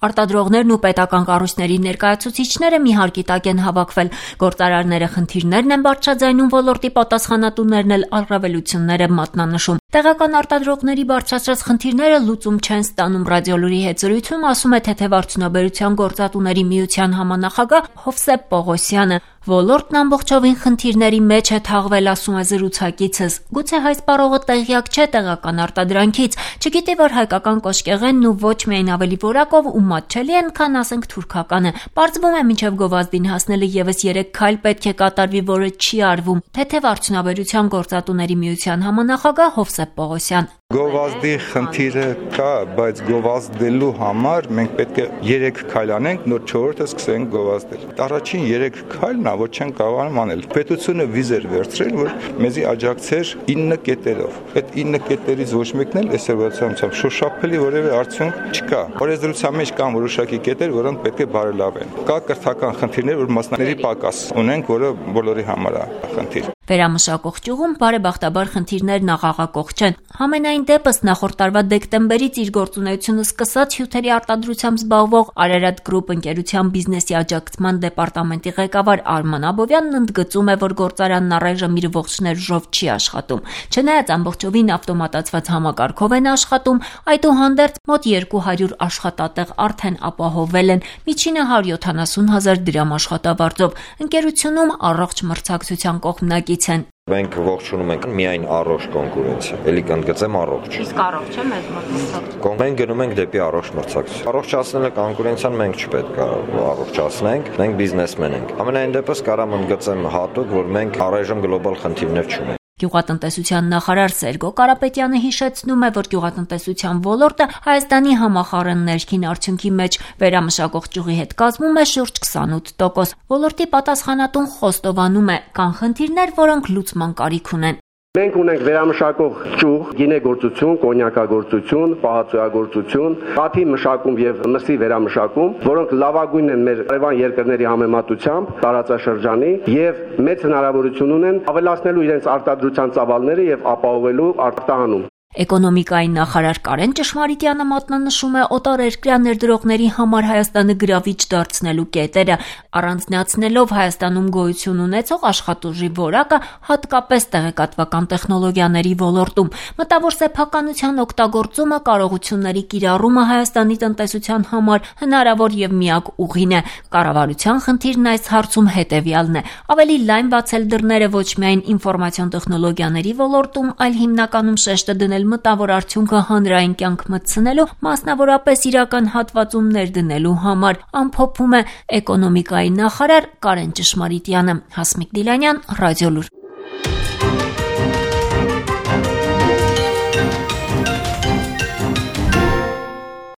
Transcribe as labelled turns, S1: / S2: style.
S1: Արտադրողներն ու պետական կառույցների ներկայացուցիչները մի հարկի տակ են հավաքվել։ Գործարարները խնդիրներն են բարձրաձայնում, ոլորտի պատասխանատուներն էլ առավելություններ են մատնանշում։ Տեղական արտադրողների բարձրացրած խնդիրները լուծում չեն ստանում։ Ռադիոլուրի հետ զրույցում ասում է Թեթևարդյունաբերության գործատուների միության համանախագահ Հովսեփ Պողոսյանը։ Ոլորտն ամբողջովին խնդիրների մեջ է թաղվել, ասում է զրուցակիցս։ Գուցե հայ սպառողը տեղյակ չէ տեղական արտադրանքից, չգիտի, որ հայկական կոշկեղենն ու ոչ միայն ավելի որակով ու մատչելի են, քան ասենք թուրքականը։ Պարզվում է մինչև գովազդին հասնելը եւս 3 քայլ պետք է կատարվի, որը չի արվում։ Թեթևարդյունաբերության գործատուների միության համանախագահ Հովսեփ Պողոսյան։
S2: Գովազդի խնդիրը կա, բայց գովազդելու համար մենք պետք է 3 քայլ անենք, նոր 4-րդը սկսենք գովազդել։ Առաջին 3 քայլն ոչ չեն կարողանում անել։ Պետությունը վիզ էր վերցրել, որ մեզի աջակցեր 9 կետերով։ Այդ 9 կետերից ոչ մեկն էլ այսօրվացությամբ շոշափելի որևէ արդյունք չկա։ Օրենսդրության մեջ կան որոշակի կետեր, որոնք պետք է բարելավեն։ Կա կրթական խնդիրներ, որ մասնակցների պակաս ունենք, որը բոլորի համար է խնդիր։
S1: Վերամշակող ճյուղում բարեբախտաբար խնդիրներն աղաղակող չեն։ Համենայն դեպս նախորդ տարվա դեկտեմբերից իր գործունեությունը սկսած հյութերի արտադրությամբ զբաղվող Արարատ Գրուպ ընկերության բիզնեսի աջակցման դեպարտամենտի ղեկավար Արման Աբովյանն ընդգծում է, որ գործարանն առայժմ իր ողջ ներուժով չի աշխատում։ Չնայած ամբողջովին ավտոմատացված համակարգով են աշխատում, այդուհանդերձ մոտ 200 աշխատատեղ արդեն ապահովել են, միջինը 170,000 դրամ աշխատավարձով։ Ընկերությունում առողջ մրցակցության կողմնակից են։
S3: Մենք ողջունում ենք միայն առողջ կոնկուրենցիա, էլի կընդգծեմ առողջ։
S1: Իսկ առողջ է մեզ մոտ։
S3: Մենք գնում ենք դեպի առողջ մրցակցություն։ Առողջացնելը կոնկուրենցիան մենք չպետք է առողջացնենք, մենք բիզնեսմեն ենք։ Ամենայն դեպս կարամ ընդգծեմ հատուկ, որ մենք առայժմ գլոբալ խնդիրներ չունենք։
S1: Գյուղատնտեսության նախարար Սերգո Կարապետյանը հիշեցնում է, որ գյուղատնտեսության ոլորտը Հայաստանի համախառն ներքին արդյունքի մեջ վերամշակող ճյուղի հետ կազմում է շուրջ 28%։ Ոլորտի պատասխանատուն խոստովանում է, կան խնդիրներ, որոնք լուծման կարիք ունեն։
S4: Մենք ունենք վերամշակող ճյուղ, գինեգործություն, կոնյակագործություն, պահածոյագործություն, կաթի մշակում եւ մսի վերամշակում, որոնք լավագույնն են մեր արևան երկրների համեմատությամբ տարածաշրջանի եւ մեծ հնարավորություն ունեն ավելացնելու իրենց արտադրության ծավալները եւ ապահովելու արտահանում։
S1: Էկոնոմիկայի նախարար Կարեն Ճշմարիտյանը մատնանշում է օտարերկրյա ներդրողների համար Հայաստանը գրավիչ դարձնելու կետերը, առանձնացնելով Հայաստանում գոյություն ունեցող աշխատուժի որակը, հատկապես տեղեկատվական տեխնոլոգիաների ոլորտում։ Մտավոր սեփականության օգտագործումը, կարողությունների կիրառումը Հայաստանի տնտեսության համար հնարավոր եւ միակ ուղին է։ Կառավարության խնդիրն այս հարցում հետեւյալն է՝ ավելի լայն բացել դռները ոչ միայն ինֆորմացիոն տեխնոլոգիաների ոլորտում, այլ հիմնականում շեշտը դնել մտավոր արդյունքը հանրային կյանք մտցնելու, մասնավորապես իրական հատվածում ներդնելու համար, ամփոփում է էկոնոմիկայի նախարար Կարեն Ճշմարիտյանը։ Հասմիկ Դիլանյան, Ռադիոլուր։